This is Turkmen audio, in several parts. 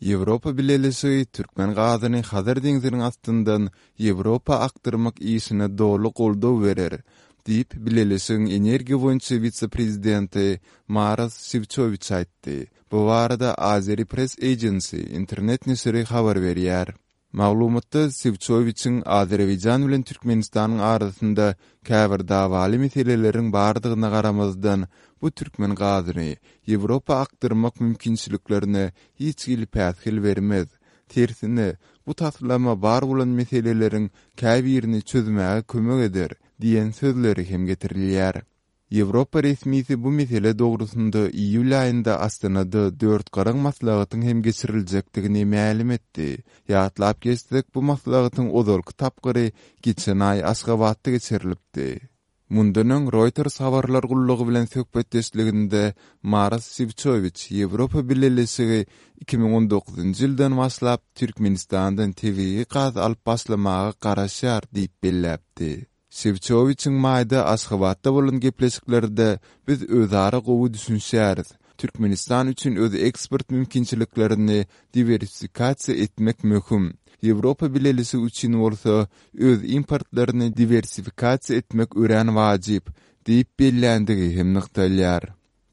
Ýewropa Bileleşigi türkmen gazyny Hazar deňziniň astyndan Ýewropa akdyrmak işine doly goldaw berer, diýip, Bileleşigiň energiýa boýunça wise-prezidenti Maros Şewçowiç aýtdy. Bu barada Azeri Press Agency internet neşiri habar berýär. Maglumatda Sewçowiçiň Azerbaýjan bilen Türkmenistanyň arasynda käbir dawaly meseleleriň bardygyna garamazdan, bu türkmen gazyny Ýewropa akdyrmak mümkinçiliklerine hiç hili päsgel bermez, tersine, bu taslama bar bolan meseleleriň käbirini çözmäge kömek eder diýen sözleri hem getirilýär. Ýewropa resmisi bu mesele dogrusynda iýul aýynda Astanada dörtgaraň maslahatyň hem geçiriljekdigini mälim etdi. Ýatlap geçsek, bu maslahatyň ozalky tapgyry geçen aý Aşgabatda geçirilipdi. Mundan öň Reuters habarlar gullugy bilen söhbetdeşliginde Maros Şewçowiç Ýewropa Bileleşigi 2019-njy ýyldan başlap Türkmenistandan tebigy gaz alyp başlamaga garaşýar diýip belläpdi. Şewçowiçiň maýda Aşgabatda bolan gepleşiklerde biz özara gowy düşünişýäris. Türkmenistan üçin öz eksport mümkinçiliklerini diwersifikasiýa etmek möhüm. Ýewropa Bileleşigi üçin bolsa öz importlaryny diwersifikasiýa etmek örän wajyp, diýip belländigi hem nygtalýar.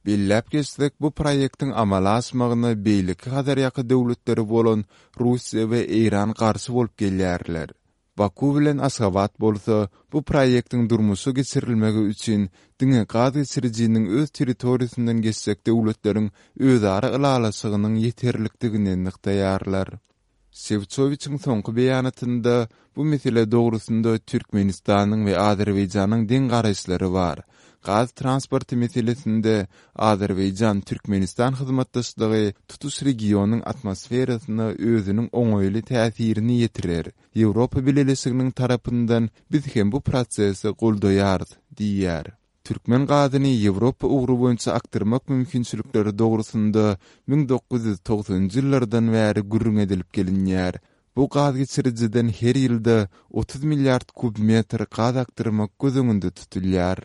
Belläp geçsek, bu proýektiň amala aşmagyna beýleki Hazarýaka döwletleri bolan Russiýa we Eýran garşy bolup gelýärler. Baku bilen Aşgabat bolsa bu proýektiň durmuşa geçirilmegi üçin diňe gaz geçirijiniň öz territoriýasyndan geçjek döwletleriň özara ylalaşygynyň ýeterlikdigini nygtaýarlar. Şewçowiçiň soňky beýanatynda bu mesele dogrusynda Türkmenistanyň we Azerbaýjanyň deň garaýyşlary bar. Gaz transporty meselesinde Azerbaýjan-Türkmenistan hyzmatdaşlygy tutuş regionyň atmosferasyna özüniň oňaýly täsirini ýetirer. Ýewropa Bileleşiginiň tarapyndan biz hem bu prosesi goldaýarys diýýär. Türkmen gazyny Ýewropa ugry boýunça akdyrmak mümkinçilikleri dogrusynda 1990-njy ýyllardan bäri gürrüň edilip gelinýär. Bu gaz geçirijiden her ýylda 30 milliard kub metr gaz akdyrmak göz öňünde tutulýar.